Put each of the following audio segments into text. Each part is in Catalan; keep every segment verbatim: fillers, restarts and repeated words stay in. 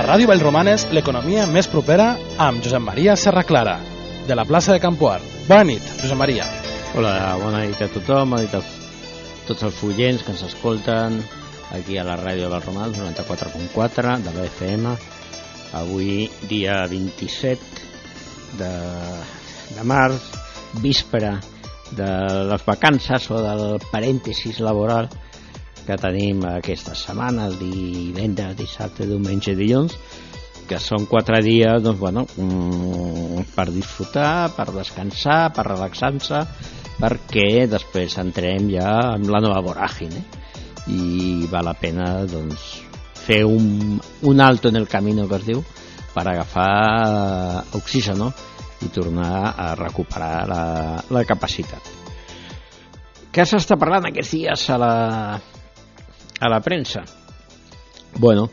Ràdio Vallromanes, l'economia més propera amb Josep Maria Serraclara, de la plaça de Campoar. Bona nit, Josep Maria. Hola, bona nit a tothom, bona nit a tots els follents que ens escolten aquí a la Ràdio Vallromanes, noranta-quatre punt quatre de la F M. Avui, dia vint-i-set de, de març, víspera de les vacances o del parèntesis laboral que tenim aquesta setmana, el divendres, dissabte, diumenge i dilluns, que són quatre dies, doncs, bueno, per disfrutar, per descansar, per relaxar-se, perquè després entrem ja en la nova voràgine i val la pena, doncs, fer un, un alto en el camino, que es diu, per agafar oxígeno i tornar a recuperar la, la capacitat. Què s'està parlant aquests dies a la, a la premsa? Bueno,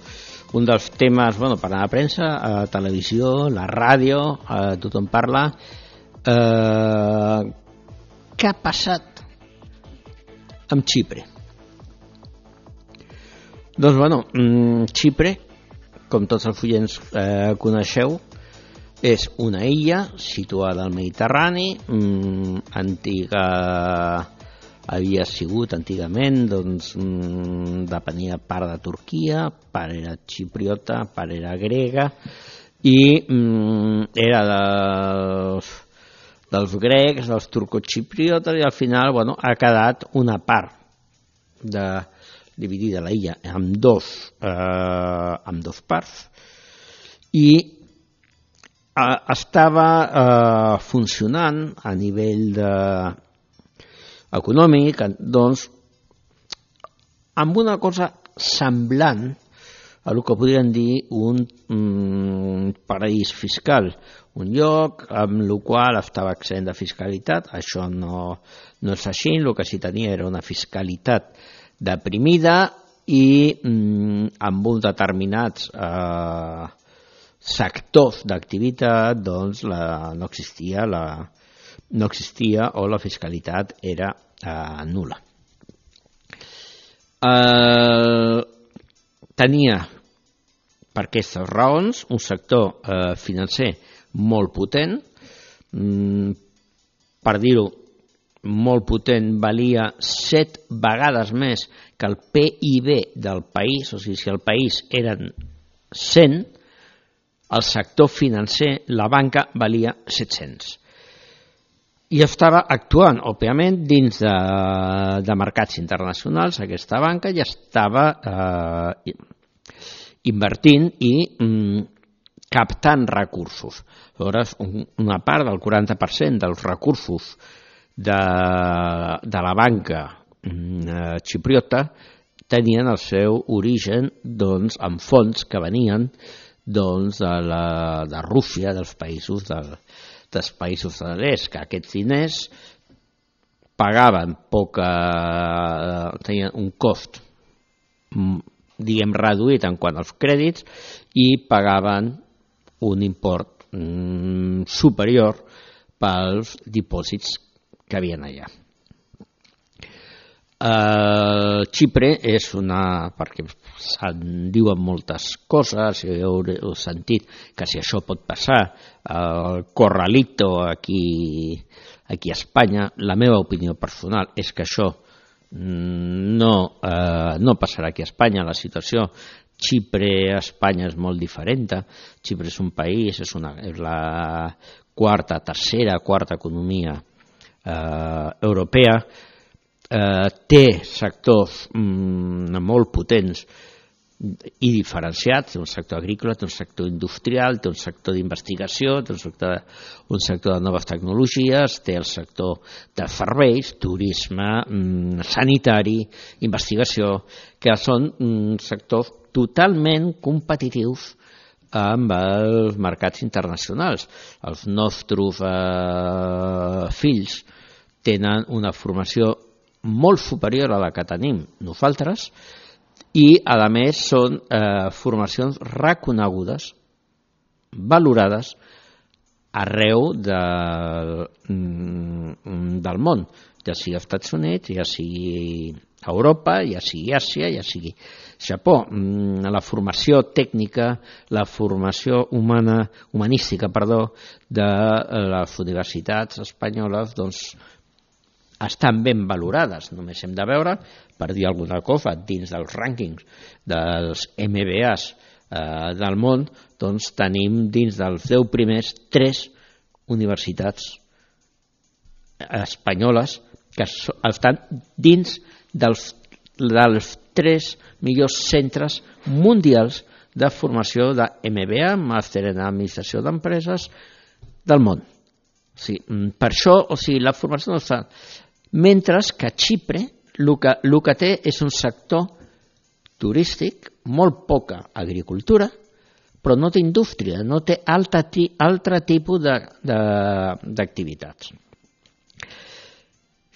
un dels temes, bueno, per a la premsa, a la televisió, la ràdio, eh, tothom parla. Eh, què ha passat amb Xipre? Doncs, bueno, Xipre, com tots els follents eh, coneixeu, és una illa situada al Mediterrani, mm, antiga, havia sigut antigament, doncs, mm, depenia part de Turquia, part era xipriota, part era grega, i mm, era dels, dels grecs, dels turcoxipriotes, i al final, bueno, ha quedat una part de dividida la illa en dos, eh, en dos parts, i eh, estava eh, funcionant a nivell de, econòmic, doncs, amb una cosa semblant a el que podríem dir un mm, paraís fiscal, un lloc amb el qual estava exempt de fiscalitat. Això no, no és així, el que sí tenia era una fiscalitat deprimida i mm, amb uns determinats eh, sectors d'activitat, doncs, la, no existia la no existia o la fiscalitat era eh, nul·la. Eh, tenia, per aquestes raons, un sector eh, financer molt potent, mm, per dir-ho, molt potent, valia set vegades més que el P I B del país, o sigui, si el país eren cent, el sector financer, la banca, valia set-cents. I estava actuant, òbviament, dins de, de mercats internacionals, aquesta banca, i estava eh, invertint i mm, captant recursos. Llavors, un, una part del quaranta per cent dels recursos de, de la banca mm, xipriota tenien el seu origen, doncs, en fons que venien, doncs, de, la, de Rússia, dels països del dels països de l'est, que aquests diners pagaven poca, tenien un cost, diguem, reduït en quant als crèdits, i pagaven un import mm, superior pels dipòsits que havien allà. Uh, Xipre és una, perquè se'n diuen moltes coses, heu, heu sentit que si això pot passar, el corralito aquí, aquí a Espanya, la meva opinió personal és que això no, uh, no passarà aquí a Espanya. La situació Xipre a Espanya és molt diferent. Xipre és un país, és, una, és la quarta, tercera, quarta economia uh, europea. Eh, té sectors mm, molt potents i diferenciats, té un sector agrícola, té un sector industrial, té un sector d'investigació, té un sector, un sector de noves tecnologies, té el sector de serveis, turisme, mm, sanitari, investigació, que són mm, sectors totalment competitius amb els mercats internacionals. Els nostres eh, fills tenen una formació molt superior a la que tenim nosaltres i, a més, són eh, formacions reconegudes, valorades arreu de, del món, ja sigui als Estats Units, ja sigui Europa, ja sigui Àsia, ja sigui Japó. La formació tècnica, la formació humana, humanística, perdó, de les universitats espanyoles, doncs, estan ben valorades. Només hem de veure, per dir alguna cosa, dins dels rànquings dels M B As eh, del món, doncs tenim dins dels deu primers tres universitats espanyoles que estan dins dels, dels tres millors centres mundials de formació de M B A, màster en administració d'empreses del món. O sigui, per això, o sigui, la formació no està... Mentre que a Xipre el que, el que té és un sector turístic, molt poca agricultura, però no té indústria, no té altre, altre tipus d'activitats.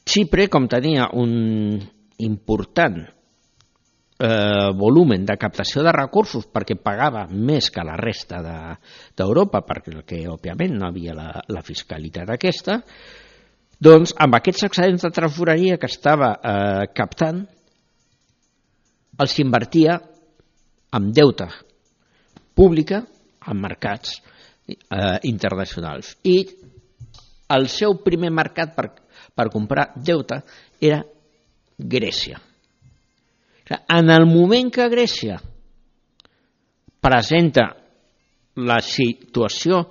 Xipre, com tenia un important eh, volumen de captació de recursos perquè pagava més que la resta d'Europa, de, perquè òbviament no havia la, la fiscalitat aquesta, doncs amb aquests excedents de tresoreria que estava eh, captant els invertia en deute pública en mercats eh, internacionals. I el seu primer mercat per, per comprar deute era Grècia. En el moment que Grècia presenta la situació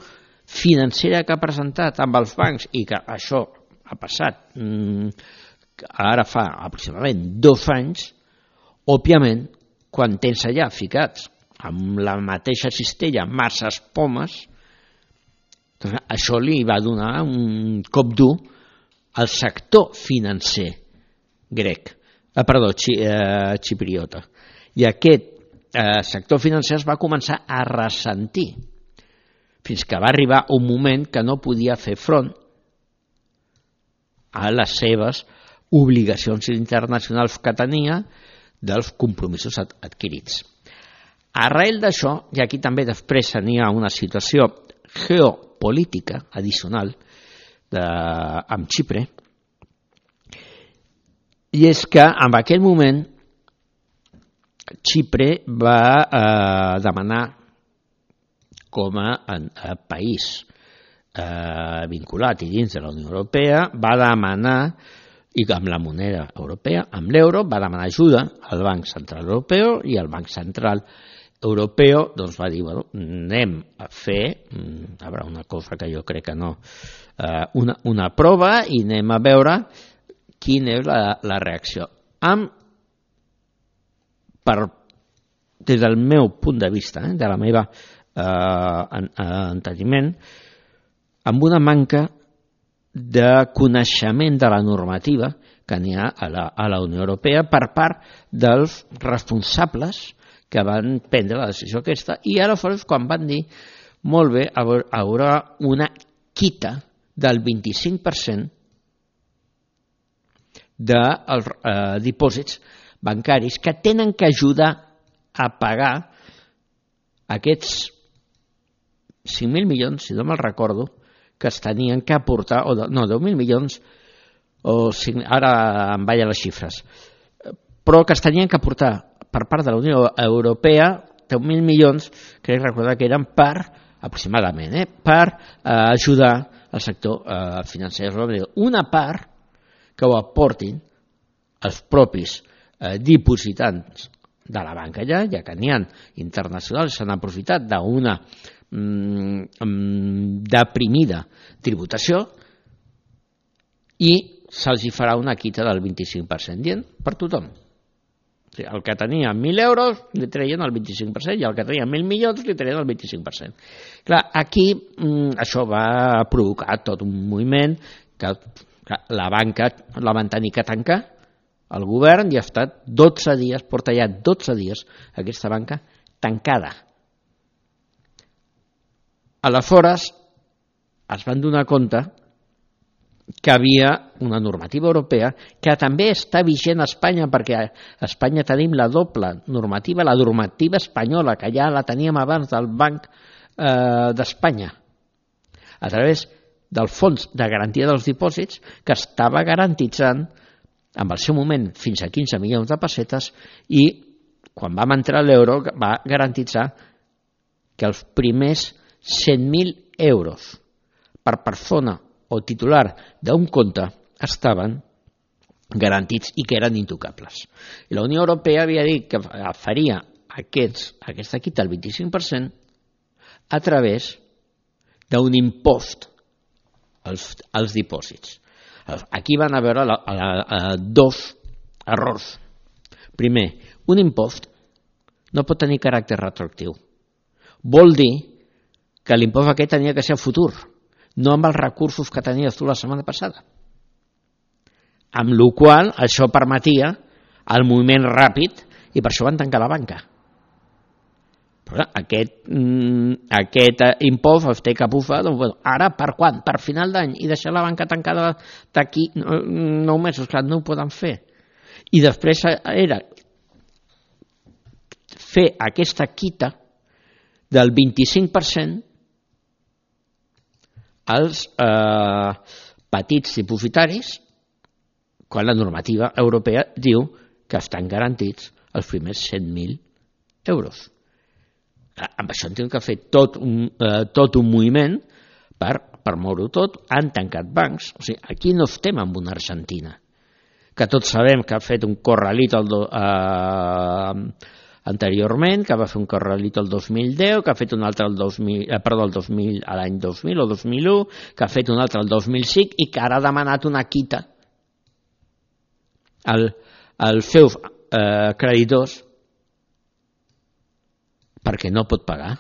financera que ha presentat amb els bancs i que això ha passat ara fa aproximadament dos anys, òbviament, quan tens allà ficats amb la mateixa cistella masses pomes, doncs això li va donar un cop dur al sector financer grec, eh, perdó, xi, eh, xipriota. I aquest eh, sector financer es va començar a ressentir fins que va arribar un moment que no podia fer front a les seves obligacions internacionals que tenia dels compromisos adquirits. Arrel d'això, i aquí també després n'hi ha una situació geopolítica addicional de, amb Xipre, i és que en aquell moment Xipre va eh, demanar com a, a país Eh, vinculat i dins de la Unió Europea, va demanar, i amb la moneda europea, amb l'euro, va demanar ajuda al Banc Central Europeu, i el Banc Central Europeu doncs va dir, bueno, anem a fer, a veure, una cosa que jo crec que no, eh, una, una prova, i anem a veure quina és la, la reacció. Amb, per, des del meu punt de vista, eh, de la meva eh, en, enteniment, amb una manca de coneixement de la normativa que n'hi ha a la, a la Unió Europea per part dels responsables que van prendre la decisió aquesta, i ara quan van dir, molt bé, hi haurà una quita del vint-i-cinc per cent dels eh, dipòsits bancaris que tenen que ajudar a pagar aquests cinc mil milions, si no me'l recordo, que es tenien que aportar, o no, deu mil milions, o cinc, ara em ballen les xifres, però que es tenien que aportar per part de la Unió Europea, deu mil milions, crec recordar que eren per, aproximadament, eh, per eh, ajudar al sector eh, financer. Una part que ho aportin els propis eh, dipositants de la banca allà, ja que n'hi ha internacionals, s'han aprofitat d'una deprimida tributació, i se'ls farà una quita del vint-i-cinc per cent, dient per tothom. El que tenia mil euros li treien el vint-i-cinc per cent, i el que tenia mil milions li treien el vint-i-cinc per cent. Clar, aquí això va provocar tot un moviment que la banca la van tenir que tancar, el govern, i ha estat dotze dies, porta ja dotze dies aquesta banca tancada. Aleshores es van donar compte que havia una normativa europea que també està vigent a Espanya, perquè a Espanya tenim la doble normativa, la normativa espanyola, que ja la teníem abans del Banc eh, d'Espanya, a través del Fons de Garantia dels Dipòsits, que estava garantitzant en el seu moment fins a quinze milions de pessetes, i quan vam entrar a l'euro va garantitzar que els primers cent mil euros per persona o titular d'un compte estaven garantits i que eren intocables. I la Unió Europea havia dit que faria aquests, aquesta quita el vint-i-cinc per cent a través d'un impost als, als dipòsits. Aquí van a veure la, la, la, dos errors. Primer, un impost no pot tenir caràcter retroactiu. Vol dir que l'impost aquest tenia que ser futur, no amb els recursos que tenies tu la setmana passada. Amb la qual cosa això permetia el moviment ràpid i per això van tancar la banca. Però aquest, aquest impost es té que bufar, doncs, bueno, ara per quan? Per final d'any, i deixar la banca tancada d'aquí nou mesos, clar, no ho poden fer. I després era fer aquesta quita del vint-i-cinc per cent als eh, petits dipositaris, quan la normativa europea diu que estan garantits els primers cent mil euros. Amb això hem de fer tot un, eh, tot un moviment per, per moure-ho tot. Han tancat bancs. O sigui, aquí no estem amb una Argentina, que tots sabem que ha fet un corralito el do, eh, anteriorment, que va fer un corralito el dos mil deu, que ha fet un altre el dos mil, eh, perdó, el dos mil, a l'any dos mil o dos mil u, que ha fet un altre el dos mil cinc i que ara ha demanat una quita als al seus eh, creditors perquè no pot pagar.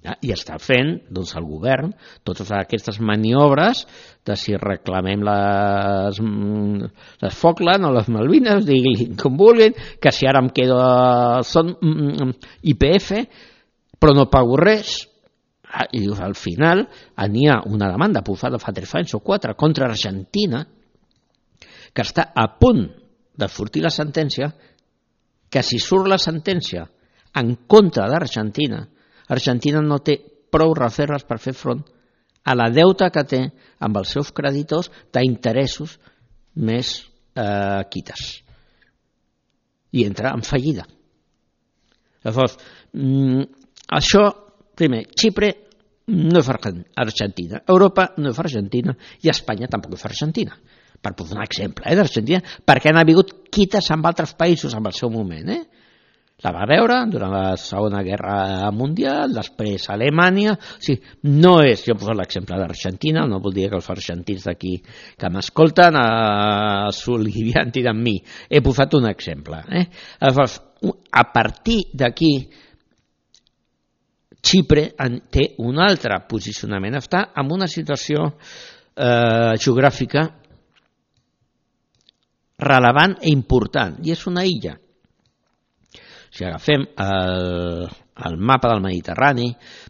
Ja, i està fent doncs, el govern totes aquestes maniobres de si reclamem les, les Falkland o les Malvines, diguin com vulguin, que si ara em quedo són I P F però no pago res. I al final n'hi ha una demanda posada fa tres anys o quatre contra Argentina, que està a punt de sortir la sentència, que si surt la sentència en contra d'Argentina, Argentina no té prou reserves per fer front a la deuta que té amb els seus creditors d'interessos més eh, quites. I entra en fallida. Llavors, mm, això, primer, Xipre no és Argentina, Europa no és Argentina i Espanya tampoc és Argentina. Per posar un exemple eh, d'Argentina, perquè han hagut quites amb altres països en el seu moment. Eh? La va veure durant la Segona Guerra Mundial, després Alemanya. O sigui, no és, jo he posat l'exemple d'Argentina, no vol dir que els argentins d'aquí que m'escolten eh, s'oliviantin amb mi. He posat un exemple. Eh? A partir d'aquí, Xipre té un altre posicionament. Està en una situació eh, geogràfica relevant i important, i és una illa. Si agafem el, el mapa del Mediterrani,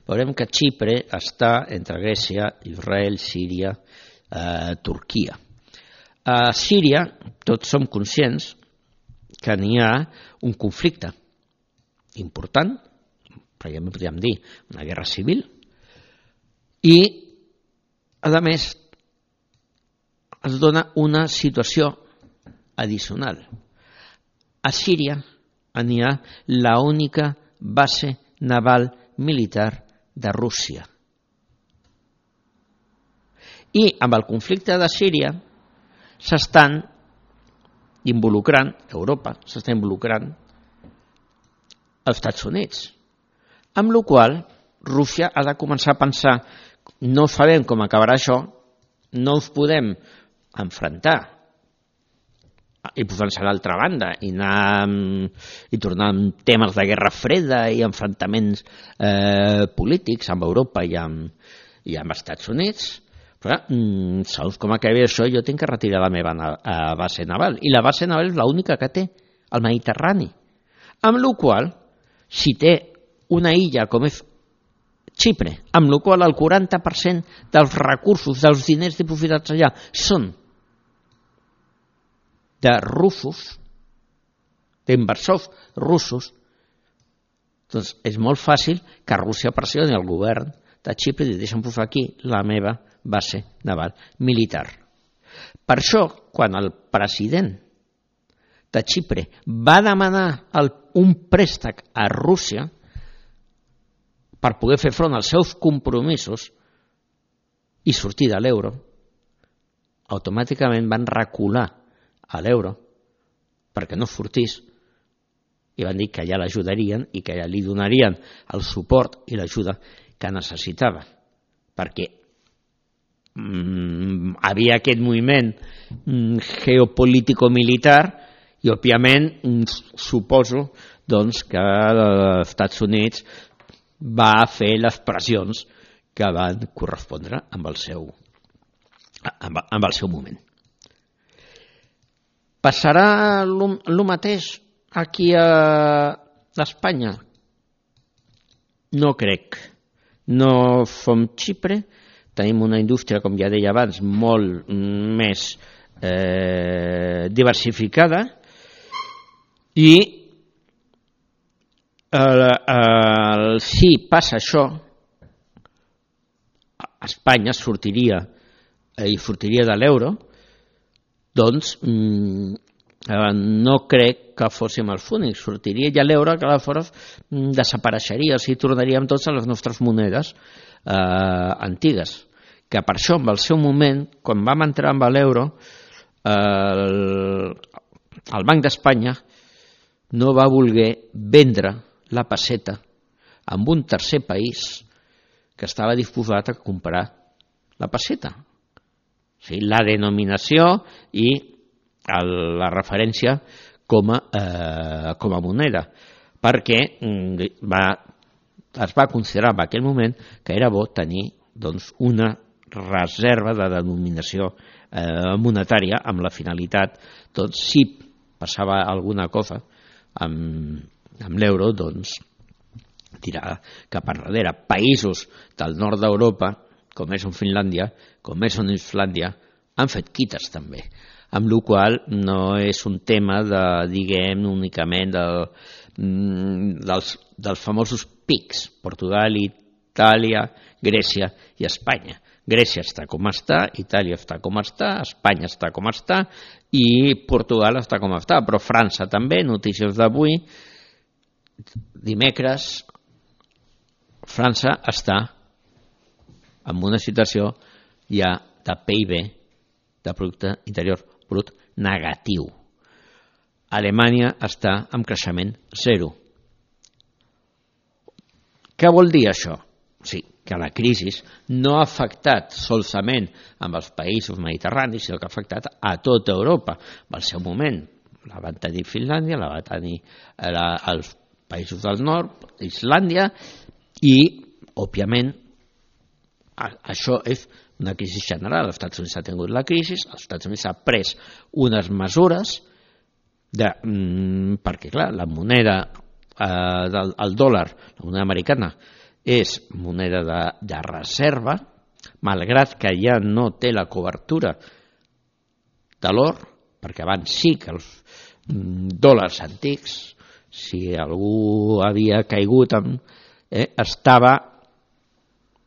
veurem que Xipre està entre Grècia, Israel, Síria, eh, Turquia. A Síria, tots som conscients que n'hi ha un conflicte important, perquè podríem dir una guerra civil, i, a més, es dona una situació adicional. A Síria n'hi ha l'única base naval militar de Rússia. I amb el conflicte de Síria s'estan involucrant, Europa s'està involucrant els Estats Units, amb la qual cosa Rússia ha de començar a pensar, no sabem com acabarà això, no us podem enfrontar i posar-se a l'altra banda i, anar, i tornar amb temes de guerra freda i enfrontaments eh, polítics amb Europa i amb, i amb Estats Units. Però, mm, segons com acabi això, jo tinc que retirar la meva na- base naval. I la base naval és l'única que té, el Mediterrani. Amb la qual cosa, si té una illa com és Xipre, amb la qual cosa el quaranta per cent dels recursos, dels diners dipositats allà, són de russos, d'inversors russos, doncs és molt fàcil que Rússia pressioni el govern de Xipre i deixa'm posar aquí la meva base naval militar. Per això, quan el president de Xipre va demanar el, un préstec a Rússia per poder fer front als seus compromisos i sortir de l'euro, automàticament van recular a l'euro perquè no sortís i van dir que ja l'ajudarien i que ja li donarien el suport i l'ajuda que necessitava, perquè mm, havia aquest moviment mm, geopolítico-militar i, òbviament, mm, suposo doncs, que els Estats Units va fer les pressions que van correspondre amb el seu, amb, amb el seu moment. Passarà el mateix aquí a Espanya? No crec. No som Xipre, tenim una indústria, com ja deia abans, molt més eh, diversificada i el, el, si passa això, Espanya sortiria eh, i sortiria de l'euro, doncs mm, eh, no crec que fóssim els únics, sortiria ja l'euro, que aleshores mm, desapareixeria, o sigui, tornaríem tots a les nostres monedes eh, antigues, que per això, en el seu moment, quan vam entrar amb l'euro, eh, el, el Banc d'Espanya no va voler vendre la peseta amb un tercer país que estava disposat a comprar la peseta. O sigui, la denominació i el, la referència com a, eh, com a moneda, perquè va, es va considerar en aquell moment que era bo tenir doncs, una reserva de denominació eh, monetària amb la finalitat, doncs, si passava alguna cosa amb, amb l'euro, doncs, tirar cap enrere. Països del nord d'Europa, com és en Finlàndia, com és en Islàndia, han fet quites també, amb la qual no és un tema de, diguem, únicament de, dels, dels famosos pics, Portugal, Itàlia, Grècia i Espanya. Grècia està com està, Itàlia està com està, Espanya està com està i Portugal està com està, però França també, notícies d'avui, dimecres, França està en una situació ja de P I B, de Producte Interior Brut, negatiu. Alemanya està en creixement zero. Què vol dir això? Sí, que la crisi no ha afectat solament amb els països mediterranis, sinó que ha afectat a tota Europa. Al seu moment la van tenir Finlàndia, la van tenir la, els països del nord, Islàndia, i, òbviament, això és una crisi general. Els Estats Units ha tingut la crisi, els Estats Units ha pres unes mesures de, mm, perquè, clar, la moneda, eh, del el dòlar, la moneda americana, és moneda de, de reserva, malgrat que ja no té la cobertura de l'or, perquè abans sí que els mm, dòlars antics, si algú havia caigut amb Eh, estava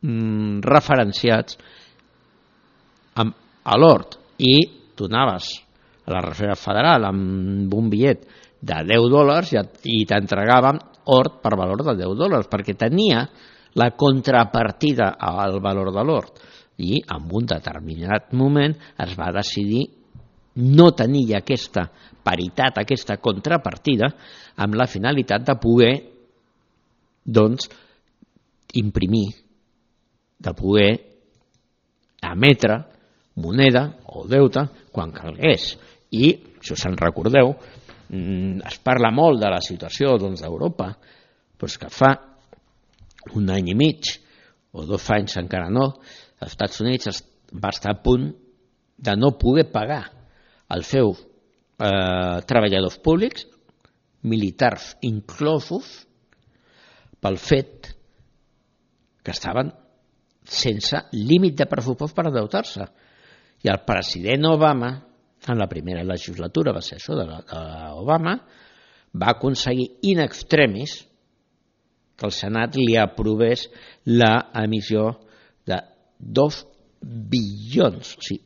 mm, referenciats amb, a l'or i donaves a la Reserva Federal amb un bitllet de deu dòlars i, i t'entregaven or per valor de deu dòlars perquè tenia la contrapartida al valor de l'or i en un determinat moment es va decidir no tenir aquesta paritat, aquesta contrapartida amb la finalitat de poder doncs, imprimir, de poder emetre moneda o deute quan calgués. I, si us en recordeu, es parla molt de la situació doncs, d'Europa, doncs que fa un any i mig, o dos anys encara no, els Estats Units va estar a punt de no poder pagar els seus eh, treballadors públics, militars inclosos, pel fet que estaven sense límit de pressupost per endeutar-se. I el president Obama, en la primera legislatura, va ser això d'Obama, va aconseguir in extremis que el Senat li aprovés l'emissió de dos bilions, o sigui,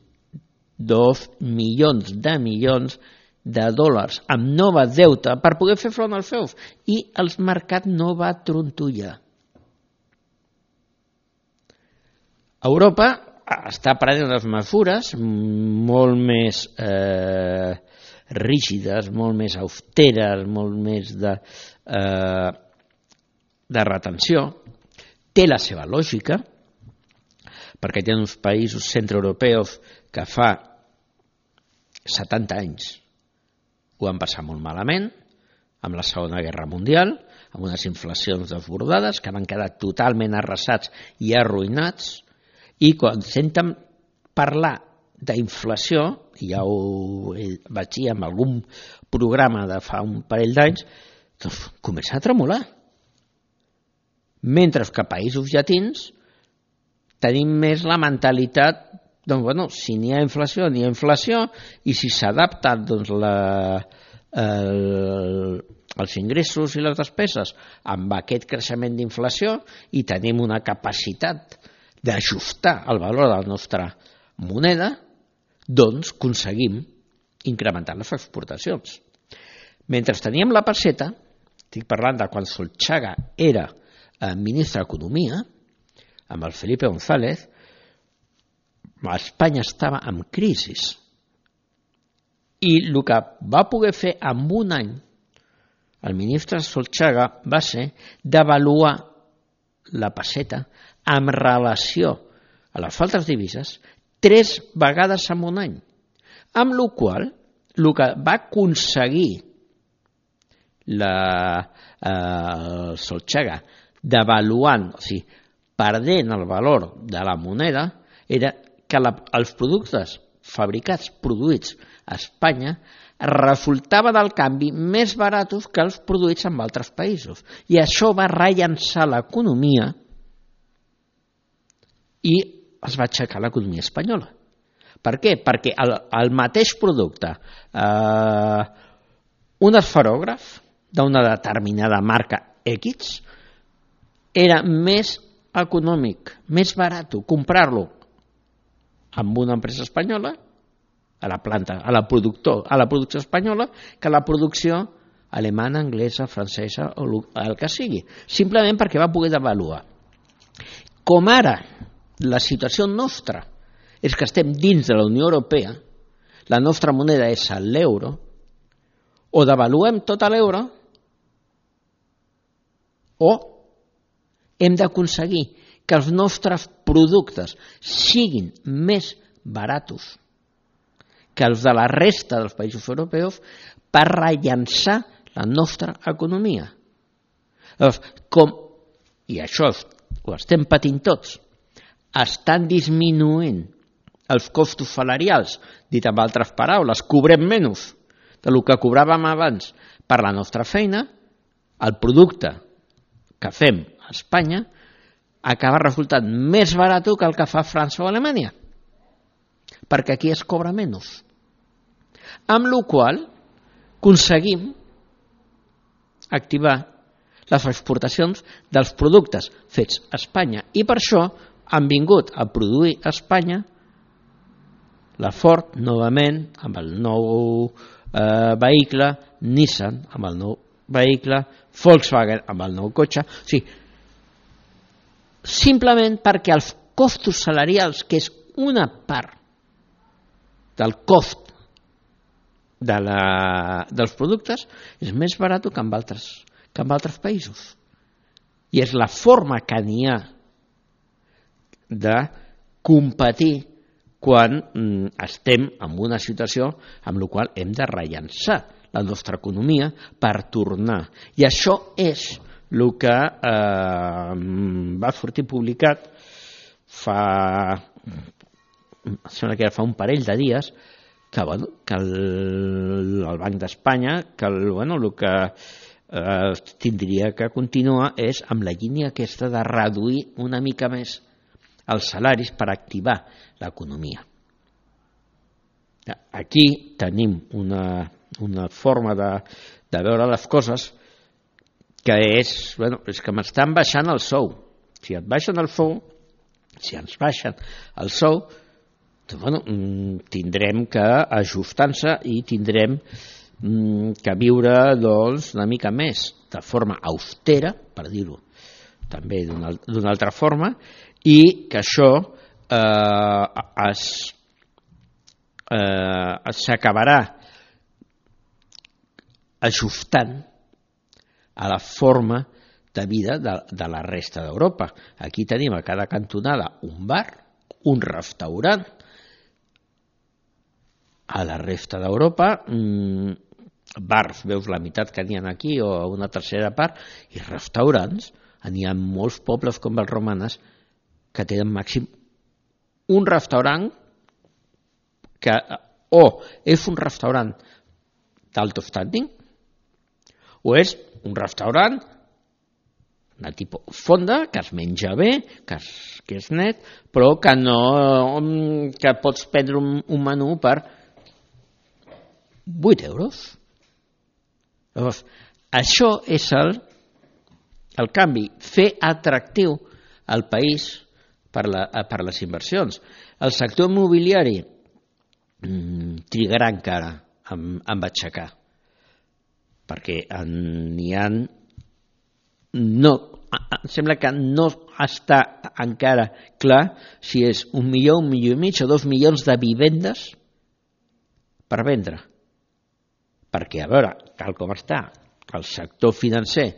dos milions de milions de dòlars amb nova deute per poder fer front als feus, i el mercat no va trontollar. Europa està prenent unes mesures molt més eh, rígides, molt més austeres, molt més de, eh, de retenció. Té la seva lògica, perquè hi ha uns països centreeuropeus que fa setanta anys ho van passar molt malament, amb la Segona Guerra Mundial, amb unes inflacions desbordades que van quedar totalment arrasats i arruïnats, i quan senten parlar d'inflació, i ja ho vaig dir en algun programa de fa un parell d'anys, doncs comença a tremolar. Mentre que a països llatins tenim més la mentalitat, doncs, bueno, si n'hi ha inflació, n'hi ha inflació, i si s'adapten doncs, la, el, els ingressos i les despeses amb aquest creixement d'inflació i tenim una capacitat d'ajustar el valor de la nostra moneda, doncs aconseguim incrementar les exportacions. Mentre teníem la pesseta, estic parlant de quan Solchaga era ministre d'Economia, amb el Felipe González, Espanya estava en crisi. I el que va poder fer en un any el ministre Solchaga va ser devaluar la pesseta en relació a les altres divises tres vegades en un any, amb la qual cosa el que va aconseguir la, eh, Solchaga devaluant, o sigui, perdent el valor de la moneda, era que la, els productes fabricats, produïts a Espanya, resultaven del canvi més baratos que els produïts en altres països. I això va rellançar l'economia i es va aixecar l'economia espanyola. Per què? Perquè el, el mateix producte, eh, un esferògraf d'una determinada marca X, era més econòmic, més barat comprar-lo amb una empresa espanyola, a la planta, a la, productor, a la producció espanyola, que la producció alemana, anglesa, francesa o el que sigui, simplement perquè va poder devaluar. Com ara la situació nostra és que estem dins de la Unió Europea, la nostra moneda és l'euro, o devaluem tot l'euro o hem d'aconseguir que els nostres productes siguin més baratos que els de la resta dels països europeus per rellançar la nostra economia. Llavors, com, i això ho estem patint tots, estan disminuint els costos salarials, dit amb altres paraules, cobrem menys del que cobràvem abans per la nostra feina, el producte que fem a Espanya acaba resultant més barat que el que fa França o Alemanya, perquè aquí es cobra menys. Amb la qual cosa aconseguim activar les exportacions dels productes fets a Espanya i per això han vingut a produir a Espanya la Ford novament amb el nou eh, vehicle, Nissan amb el nou vehicle, Volkswagen amb el nou cotxe, o sigui, simplement perquè els costos salarials, que és una part del cost de la, dels productes, és més barat que en altres, que en altres països. I és la forma que n'hi ha de competir quan mm, estem en una situació amb la qual hem de rellançar la nostra economia per tornar. I això és el que eh, va sortir publicat fa, sembla que fa un parell de dies, que, bueno, que el, el Banc d'Espanya, que el, bueno, el que eh, tindria que continuar és amb la línia aquesta de reduir una mica més els salaris per activar l'economia. Aquí tenim una, una forma de, de veure les coses que és, bueno, és que m'estan baixant el sou. Si et baixen el sou, si ens baixen el sou, doncs, bueno, tindrem que ajustar-se i tindrem que viure doncs, una mica més de forma austera, per dir-ho també d'una altra forma, i que això eh, es eh, s'acabarà ajustant a la forma de vida de, de la resta d'Europa. Aquí tenim a cada cantonada un bar, un restaurant. A la resta d'Europa, mmm, bars, veus la meitat que n'hi ha aquí o una tercera part, i restaurants, n'hi ha molts pobles com els romanes que tenen màxim un restaurant que o és un restaurant d'alto standing o és un restaurant de tipus fonda, que es menja bé, que és, que és net, però que no que pots prendre un, un menú per vuit euros. Llavors, això és el, el canvi, fer atractiu al país per, la, per les inversions. El sector immobiliari mmm, trigarà encara en, en aixecar, perquè n'hi ha... No, em sembla que no està encara clar si és un milió, un milió i mig o dos milions de vivendes per vendre. Perquè, a veure, tal com està el sector financer,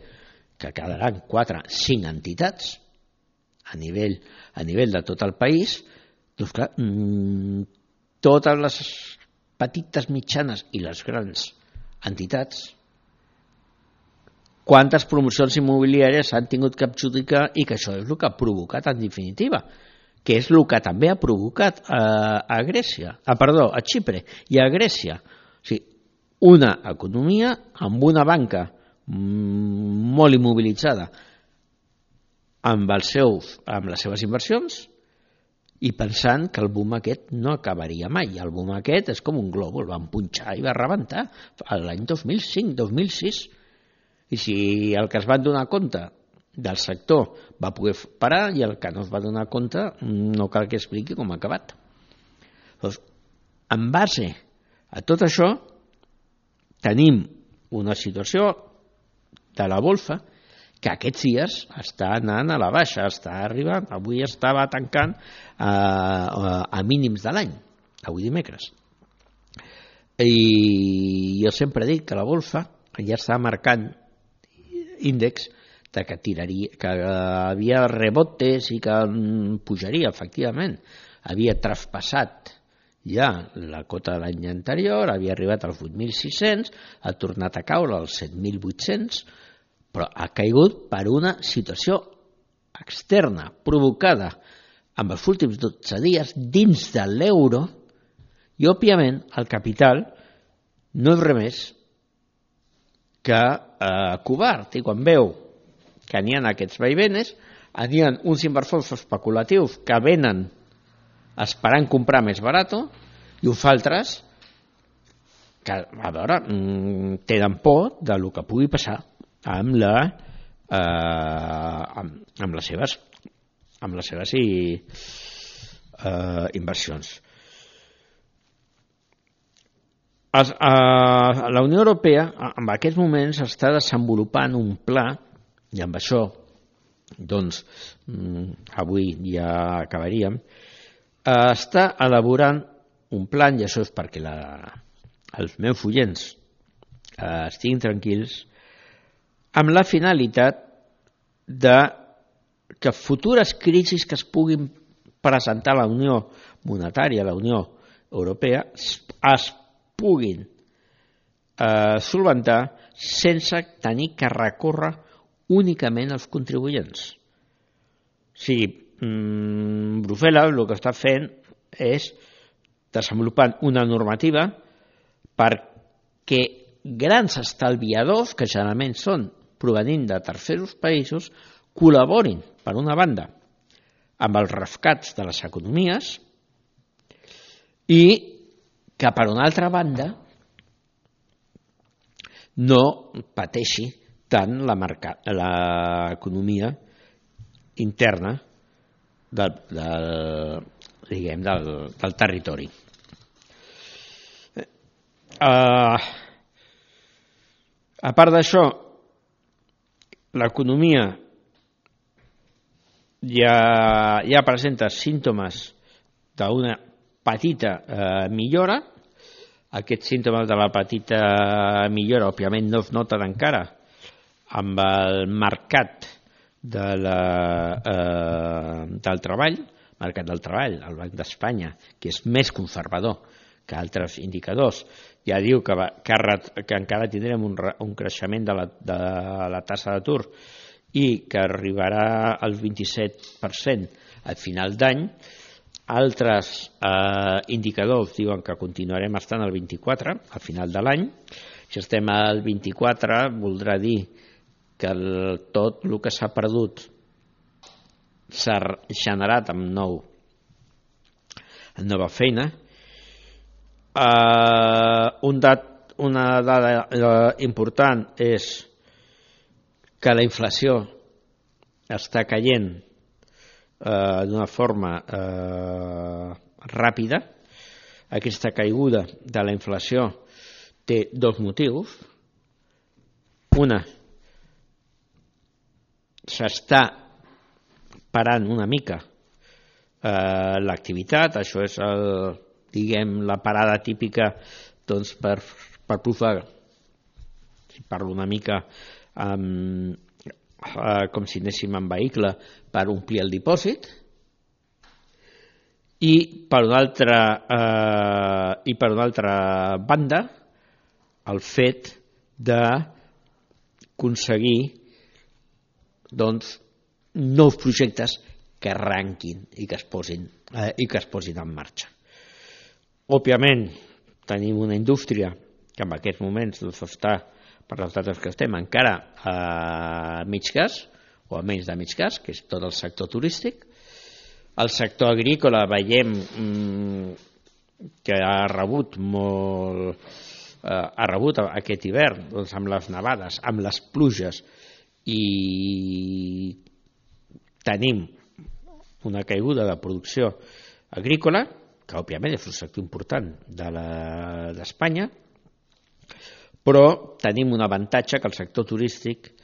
que quedaran quatre, cinc entitats a nivell, a nivell de tot el país, doncs clar, mmm, totes les petites, mitjanes i les grans entitats, quantes promocions immobiliàries s'han tingut que adjudicar, i que això és el que ha provocat en definitiva, que és el que també ha provocat a, a Grècia, a, perdó, a Xipre i a Grècia. O sigui, una economia amb una banca molt immobilitzada amb, els seus, amb les seves inversions i pensant que el boom aquest no acabaria mai. El boom aquest és com un globo, el van punxar i va rebentar l'any dos mil cinc, dos mil sis. I si el que es van donar compte del sector va poder parar i el que no es va donar compte no cal que expliqui com ha acabat. Doncs, en base a tot això, tenim una situació de la bolsa que aquests dies està anant a la baixa, està arribant, avui estava tancant a, a mínims de l'any, avui dimecres. I jo sempre he dit que la bolsa ja està marcant índex de que tiraria, que havia rebotes i que pujaria, efectivament. Havia traspassat ja la cota de l'any anterior, havia arribat als vuit mil sis-cents, ha tornat a caure als set mil vuit-cents, però ha caigut per una situació externa provocada en els últims dotze dies dins de l'euro, i òbviament el capital no és res més que eh, covard, i quan veu que n'hi ha aquests vaivenes, n'hi ha uns inversors especulatius que venen esperant comprar més barat, i uns altres que, a veure, tenen por del que pugui passar amb, la, eh, amb, amb les seves, amb les seves i, eh, inversions. Es, eh, la Unió Europea en aquests moments està desenvolupant un pla, i amb això doncs avui ja acabaríem, està elaborant un plan, i això és perquè la, els meus oients eh, estiguin tranquils, amb la finalitat de que futures crisis que es puguin presentar a la Unió Monetària, a la Unió Europea, es puguin eh, solventar sense tenir que recórrer únicament als contribuents. O sigui, Brussel·les el que està fent és desenvolupant una normativa perquè grans estalviadors, que generalment són provenint de tercers països, col·laborin, per una banda, amb els rescats de les economies i que, per una altra banda, no pateixi tant l'economia interna de, de diguem, del, del territori. Uh, a part d'això, l'economia ja, ja presenta símptomes d'una petita eh, millora. Aquests símptomes de la petita millora, òbviament, no es noten encara amb el mercat de la, eh, del treball, mercat del treball, el Banc d'Espanya, que és més conservador que altres indicadors, ja diu que, va, que, que encara tindrem un, un creixement de la, de la tassa d'atur i que arribarà al vint-i-set per cent al final d'any. Altres eh, indicadors diuen que continuarem estant al vint-i-quatre al final de l'any. Si estem al vint-i-quatre voldrà dir que el, tot el que s'ha perdut s'ha generat amb nou amb nova feina. Uh, un dat, una dada uh, important és que la inflació està caient uh, d'una forma uh, ràpida. Aquesta caiguda de la inflació té dos motius. Una, s'està parant una mica eh, l'activitat, això és el, diguem, la parada típica doncs, per, per provar, si parlo una mica um, eh, com si anéssim en vehicle, per omplir el dipòsit, i per una altra, eh, i per una altra banda el fet d'aconseguir doncs, nous projectes que arranquin i que es posin, eh, i que es posin en marxa. Òbviament, tenim una indústria que en aquests moments doncs, està, per les dates que estem, encara a mig gas, o a menys de mig gas, que és tot el sector turístic. El sector agrícola veiem mmm, que ha rebut molt, eh, ha rebut aquest hivern doncs, amb les nevades, amb les pluges, i tenim una caiguda de producció agrícola, que òbviament és un sector important de d'Espanya, però tenim un avantatge que el sector turístic,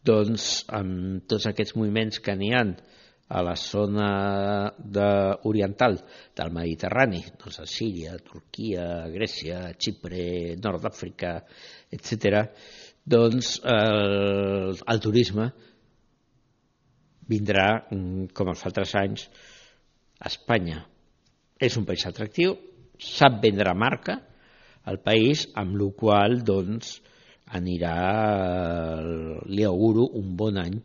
doncs, amb tots aquests moviments que n'hi ha a la zona de, oriental del Mediterrani, doncs a Síria, Turquia, Grècia, Xipre, Nord d'Àfrica, etcètera, doncs el, el turisme vindrà com els altres anys a Espanya. És un país atractiu, sap vendre marca al país, amb la qual doncs, anirà, li auguro un bon any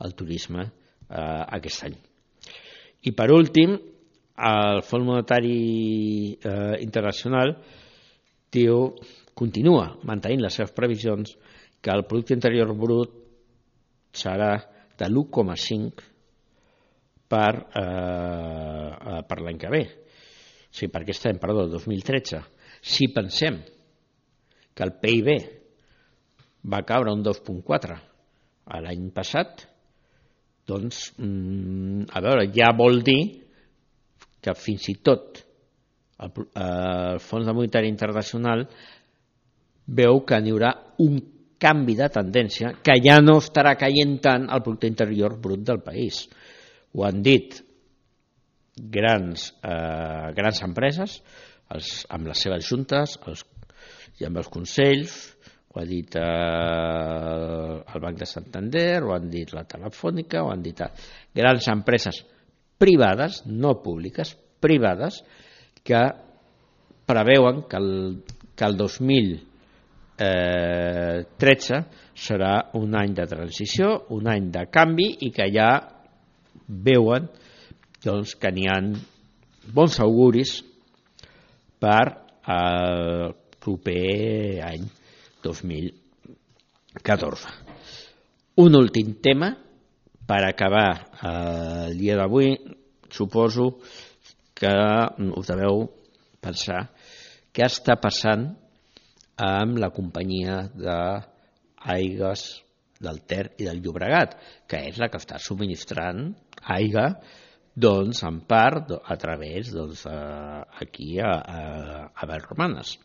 al turisme eh, aquest any. I per últim, el Fons Monetari eh, Internacional diu, continua mantenint les seves previsions que el producte interior brut serà de l'u coma cinc per, eh, per l'any que ve. O sigui, per aquest any, perdó, dos mil tretze. Si pensem que el P I B va caure un dos coma quatre l'any passat, doncs, a veure, ja vol dir que fins i tot el, el Fons Monetari Internacional veu que n'hi haurà un canvi de tendència, que ja no estarà caient tant el producte interior brut del país. Ho han dit grans, eh, grans empreses, els, amb les seves juntes els, i amb els consells, ho ha dit eh, el Banc de Santander, ho han dit la Telefònica, ho han dit grans empreses privades, no públiques, privades, que preveuen que el, que el dos mil tretze serà un any de transició, un any de canvi, i que ja veuen doncs, que n'hi ha bons auguris per al proper any dos mil catorze. Un últim tema per acabar el dia d'avui. Suposo que us deveu pensar què està passant amb la companyia d'aigües del Ter i del Llobregat, que és la que està subministrant aigua doncs, en part a través doncs, aquí a, a, a Vallromanes.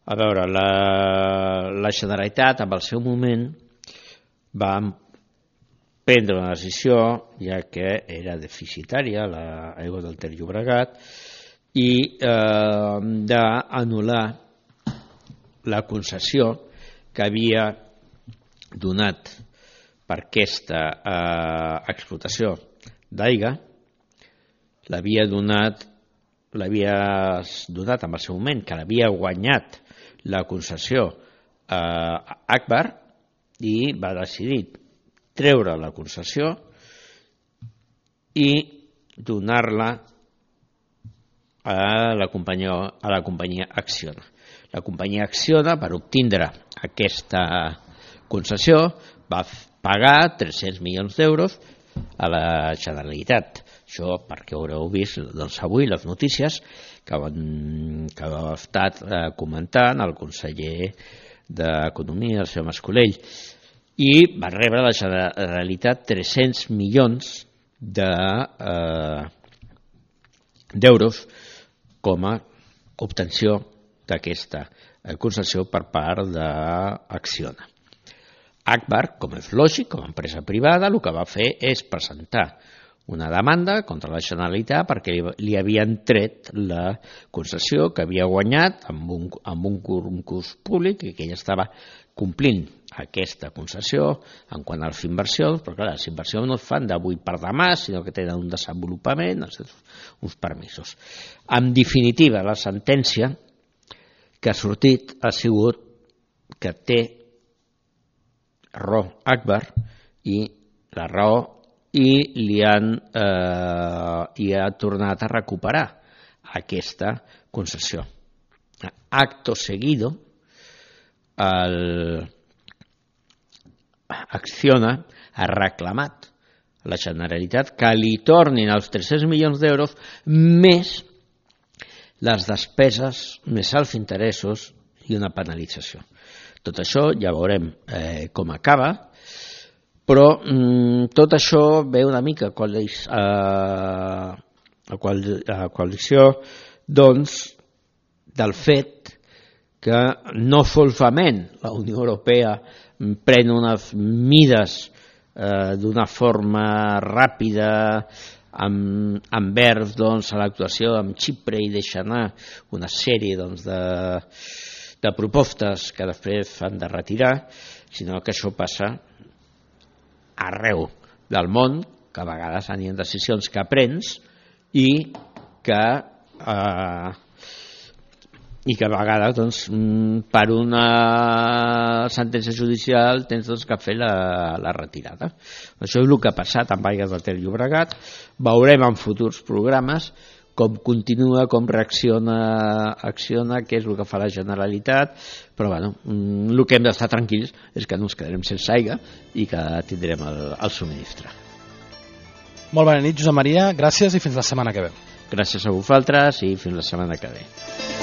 A veure, la, la Generalitat, en el seu moment, va prendre una decisió, ja que era deficitària l'aigua del Ter Llobregat, i eh, d'anul·lar la concessió que havia donat per aquesta eh, explotació d'aigua, l'havia donat, l'havia donat en el seu moment, que l'havia guanyat la concessió a Agbar, i va decidir treure la concessió i donar-la a la companyia, a la companyia Acciona. La companyia Acciona, per obtindre aquesta concessió, va pagar tres-cents milions d'euros a la Generalitat. Això perquè haureu vist doncs, avui les notícies que, van, que ha estat eh, comentant el conseller d'Economia, el senyor Mascolell, i va rebre la Generalitat tres-cents milions de, eh, d'euros com a obtenció d'aquesta concessió per part d'Acciona. Agbar, com és lògic, com a empresa privada, el que va fer és presentar una demanda contra la Generalitat perquè li havien tret la concessió que havia guanyat amb un, amb un concurs públic i que ella estava complint aquesta concessió en quant a les inversions, però clar, les inversions no es fan d'avui per demà, sinó que tenen un desenvolupament, uns permisos. En definitiva, la sentència que ha sortit ha sigut que té raó Agbar i la raó i li han eh, i ha tornat a recuperar aquesta concessió. Acto seguido, el Acciona ha reclamat a la Generalitat que li tornin els tres-cents milions d'euros més les despeses, més els interessos i una penalització. Tot això ja veurem eh, com acaba, però mm, tot això ve una mica a coalició, a coalició doncs, del fet que no solament la Unió Europea pren unes mides eh, d'una forma ràpida amb, envers doncs, a l'actuació amb Xipre i deixa anar una sèrie doncs, de, de propostes que després s'han de retirar, sinó que això passa arreu del món, que a vegades hi ha decisions que prens i que eh, i que a vegades doncs, per una sentència judicial tens doncs, que fer la, la retirada. Això és el que ha passat amb Aigües del Ter Llobregat. Veurem en futurs programes com continua, com reacciona Acciona, què és el que fa la Generalitat, però bueno, el que hem d'estar tranquils és que no ens quedarem sense aigua i que tindrem el, el subministre. Molt bona nit, Josep Maria, gràcies i fins la setmana que ve. Gràcies a vosaltres i fins la setmana que ve.